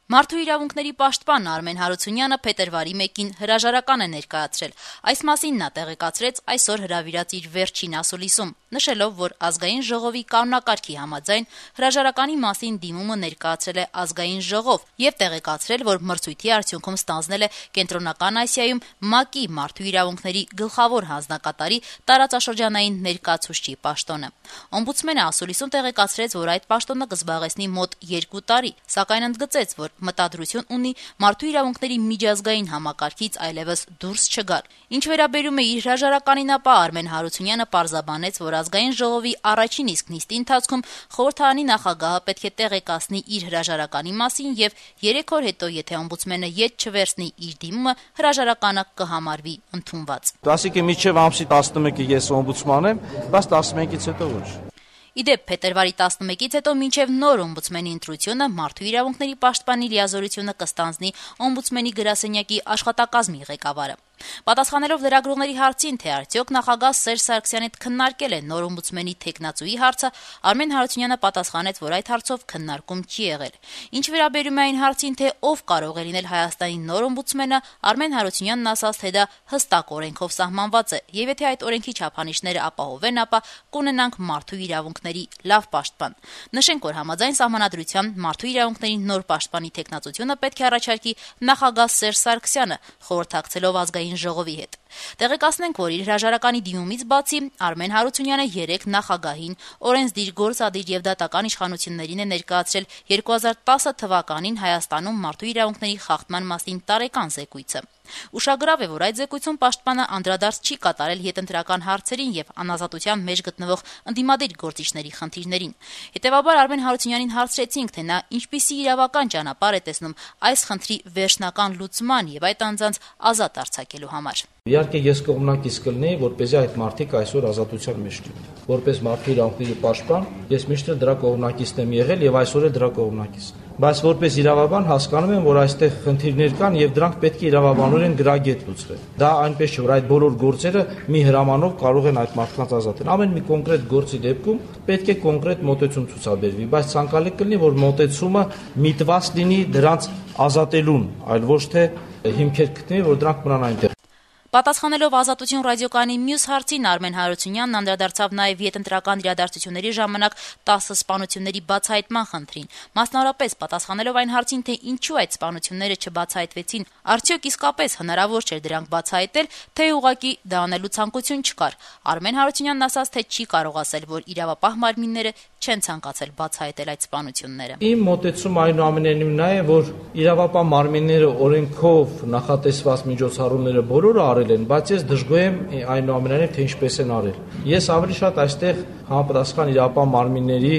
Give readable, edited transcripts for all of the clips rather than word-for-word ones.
Մարդու իրավունքների պաշտպան Արմեն Հարությունյանը փետրվարի 1-ին հրաժարական է ներկայացրել։ Այս մասին նա տեղեկացրեց այսօր հրավիրած իր վերջին ասուլիսում, նշելով, որ Ազգային ժողովի կանոնակարգի համաձայն հրաժարականի մասին դիմումը ներկայացրել է Ազգային ժողով եւ տեղեկացրել, որ մրցույթի արդյունքում ստանձնել է Կենտրոնական Ասիայում ՄԱԿ-ի մարդու իրավունքների գլխավոր հանձնակատարի տարածաշրջանային ներկայացուցչի պաշտոնը։ Օմբուդսմենը ասուլիսում տեղեկացրեց, որ այդ պաշտոնը կզբաղեցնի մոտ 2 տարի, սակայն ընդգծեց, որ մտադրություն ունի մարդու իրավունքների միջազգային համակարգից այլևս դուրս չգալ։ Ինչ վերաբերում է իր հրաժարականին, ապա Արմեն Հարությունյանը պարզաբանեց, որ Ազգային ժողովի առաջին իսկ նիստի ընթացքում խորհրդարանի նախագահը պետք է տեղեկացնի իր հրաժարականի մասին եւ 3 օր հետո, եթե օմբուդսմենը ետ չվերցնի իր դիմումը, հրաժարականը կհամարվի ընդունված։ Ասիկե միջև ամսի 11-ը ես օմբուդսման եմ, բայց 11-ից հետո ոչ։ Իդեպ փետրվարի 11-ից հետո մինչև նոր օմբուդսմենի ընտրությունը մարդու իրավունքների պաշտպանի լիազորությունը կստանձնի օմբուդսմենի գրասենյակի աշխատակազմի ղեկավարը։ Պատասխանելով լրագրողների հարցին, թե արդյոք նախագահ Սերժ Սարգսյանի հետ քննարկել է նոր օմբուդսմենի թեկնածուի հարցը, Արմեն Հարությունյանը պատասխանեց, որ այդ հարցով քննարկում չի եղել։ Ինչ վերաբերում է այն հարցին, թե ով կարող է լինել Հայաստանի նոր օմբուդսմենը, Արմեն Հարությունյանն ասաց, թե դա հստակ օրենքով սահմանված է, եւ եթե այդ օրենքի չափանիշները ապահովեն, ապա կունենանք մարդու իրավունքների լավ պաշտպան։ Նշենք, որ համաձայն սահմանադրության մարդու իրավունքների նոր պաշտպանի թեկնածությունը պետք է առաջարկի նախագահ Սերժ Սարգսյանը, խորհրդակցելով Ազգային ժողովի հետ։ Տեղեկացնենք, որ իր հրաժարականի դիմումից բացի Արմեն Հարությունյանը 3 նախագահին, օրենսդիր, գործադիր եւ դատական իշխանություններին է ներկայացրել 2010 թվականին Հայաստանում մարդու իրավունքների խախտման մասին տարեկան զեկույցը։ Ուշագրավ է, որ այդ զեկույցում պաշտպանը անդրադարձ չի կատարել հետընտրական հարցերին եւ անազատության մեջ գտնվող ընդդիմադիր գործիչների խնդիրներին։ Հետևաբար Արմեն Հարությունյանին հարցրեցինք, թե նա ինչպիսի իրավական ճանապարհ է տեսնում այս խնդրի վերջնական լուծման եւ այդ անձանց ազատ արձակելու համար։ Իհարկե ես կողմնակից կլինեի, որպեսզի այդ մարդիկ այսօր ազատության մեջ լինեն։ Որպես մարդու իրավունքների պաշտպան, ես միշտ դրա կողմնակիցն եմ եղել եւ այսօր էլ դրա կողմնակիցն եմ։ Բայց որպես իրավաբան հասկանում եմ, որ այստեղ խնդիրներ կան եւ դրանք պետք է իրավաբանորեն գրագետ լուծվեն։ Դա այնպես չէ, որ այդ բոլոր գործերը մի հրամանով կարող են այդ մարդկանց ազատել։ Ամեն մի կոնկրետ գործի դեպքում պետք է կոնկրետ մոտեցում ցուցաբերվի, բայց ցանկալի կլինի, որ մոտեցումը միտված լինի դրանց ազատելուն, այլ ոչ թե հիմքեր գտնի, որ դրանք մնան այնտեղ։ Պատասխանելով Ազատություն ռադիոկայանի մյուս հարցին, Արմեն Հարությունյանն անդրադարձավ նաև յետընտրական իրադարձությունների ժամանակ 10 սպանությունների բացահայտման խնդրին։ Մասնավորապես պատասխանելով այն հարցին, թե ինչու այդ սպանությունները չբացահայտվեցին, արդյոք իսկապես հնարավոր չէր դրանք բացահայտել, թե ուղղակի դա անելու ցանկություն չկար։ Արմեն Հարությունյանն ասաց, թե չի կարող ասել, որ իրավապահ մարմինները չեն ցանկացել բացահայտել այդ սպանությունները։ Իմ մոտեցումը այնուամենայնիվ նա է, որ իրավապահ մարմինները օրենքով նախատեսված միջոցառումները բոլորը արել են, բայց ես դժգոհ եմ այնուամենայնիվ, թե ինչպես են արել։ Ես ավելի շատ այստեղ համապատասխան իրավապահ մարմինների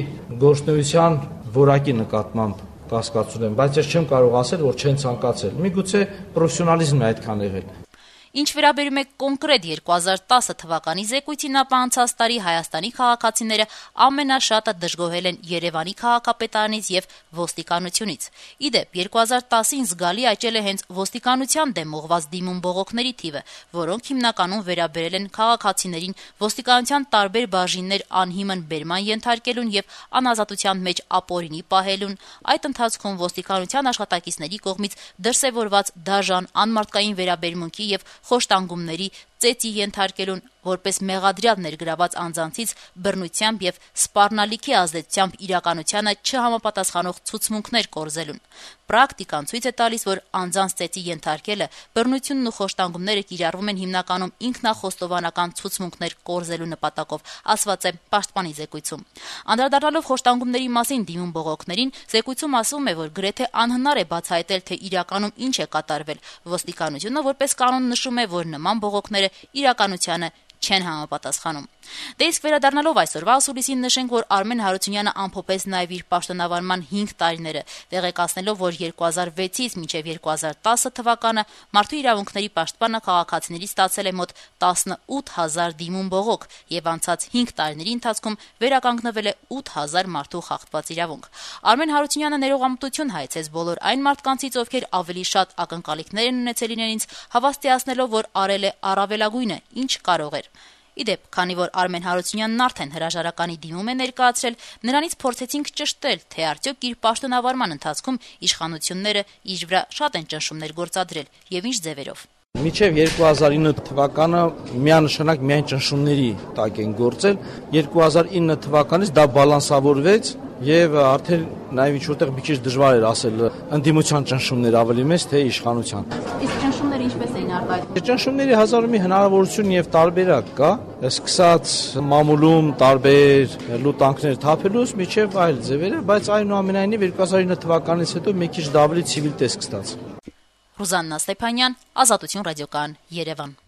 գործունեության որակի նկատմամբ կասկածում եմ, բայց ես չեմ կարող ասել, որ չեն ցանկացել։ Միգուցե պրոֆեսիոնալիզմն է այդքան եղել։ Ինչ վերաբերում է կոնկրետ 2010 թվականի զեկույցին, ապա անցած տարի Հայաստանի քաղաքացիները ամենաշատը դժգոհել են Երևանի քաղաքապետարանից եւ ոստիկանությունից։ Իդեպ 2010-ին զգալի աճել է հենց ոստիկանության դեմ ուղղված դիմում բողոքների թիվը, որոնք հիմնականում վերաբերել են քաղաքացիներին ոստիկանության տարբեր բաժիններ անհիմն բերման ենթարկելուն եւ անազատության մեջ ապօրինի պահելուն։ Այդ ընթացքում ոստիկանության աշխատակիցների կողմից դրսևորված դաժան անմարդկային վերաբերմունքի եւ խոշտանգումների ծեծի ենթարկելուն, որպես մեղադրյալ ներգրաված անձանցից բռնությամբ եւ սպառնալիքի ազդեցությամբ իրականությանը չհամապատասխանող ցուցմունքներ կորզելուն։ Պրակտիկան ցույց է տալիս, որ անձանց ծեծի ենթարկելը, բռնությունն ու խոշտանգումները կիրառվում են հիմնականում ինքնախոստովանական ցուցմունքներ կորզելու նպատակով, ասված է պաշտպանի զեկույցում։ Անդրադառնալով խոշտանգումների մասին դիմում բողոքներին, զեկույցում ասվում է, որ գրեթե անհնար է բացահայտել, թե իրականում ինչ է կատարվել։ Ոստիկանությունը որպես կանոն նշում է, որ նման բողոքները իրականությանը չեն համապատասխանում։ Դե իսկ վերադառնալով այսօրվա ասուլիսին, նշենք, որ Արմեն Հարությունյանը ամփոփեց նաև իր պաշտոնավարման 5 տարիները, տեղեկացնելով, որ 2006-ից մինչև 2010 թվականը մարդու իրավունքների պաշտպանը քաղաքացիներից ստացել է մոտ 18000 դիմում բողոք եւ անցած 5 տարիների ընթացքում վերականգնվել է 8000 մարդու խախտված իրավունք։ Արմեն Հարությունյանը ներողամտություն հայցեց բոլոր այն մարդկանցից, ովքեր ավելի շատ ակնկալիքներ են ունեցել իրենից, հավաստիացնելով, որ արել է առավելագույնը, ինչ կարող էր։ Ի դեպ, քանի որ Արմեն Հարությունյանն արդեն հրաժարականի դիմում է ներկայացրել, նրանից փորձեցինք ճշտել, թե արդյոք իր պաշտոնավարման ընթացքում իշխանությունները իր վրա շատ են ճնշումներ գործադրել եւ ինչ ձևերով։ Մինչև 2009 թվականը միանշանակ միայն ճնշումների տակ են գործել, 2009 թվականից դա բալանսավորվեց եւ արդեն նաեւ ինչ-որտեղ մի քիչ դժվար էր ասել ընդդիմության ճնշումներ ավելի մեծ, թե իշխանության։ Իսկ ճնշումները ինչպես էին արտահայտվում։ Ճնշումների հազար մի հնարավորություն եւ տարբերակ կա, սկսած մամուլում տարբեր լուտանքներ թափելուց միջև այլ ձևերը, բայց այնուամենայնիվ 2009 թվականից հետո մի քիչ ավելի ցիվիլ տեսք ստացավ։ Ռուզաննա Ստեփանյան, Ազատություն ռադիոկայան, Երևան։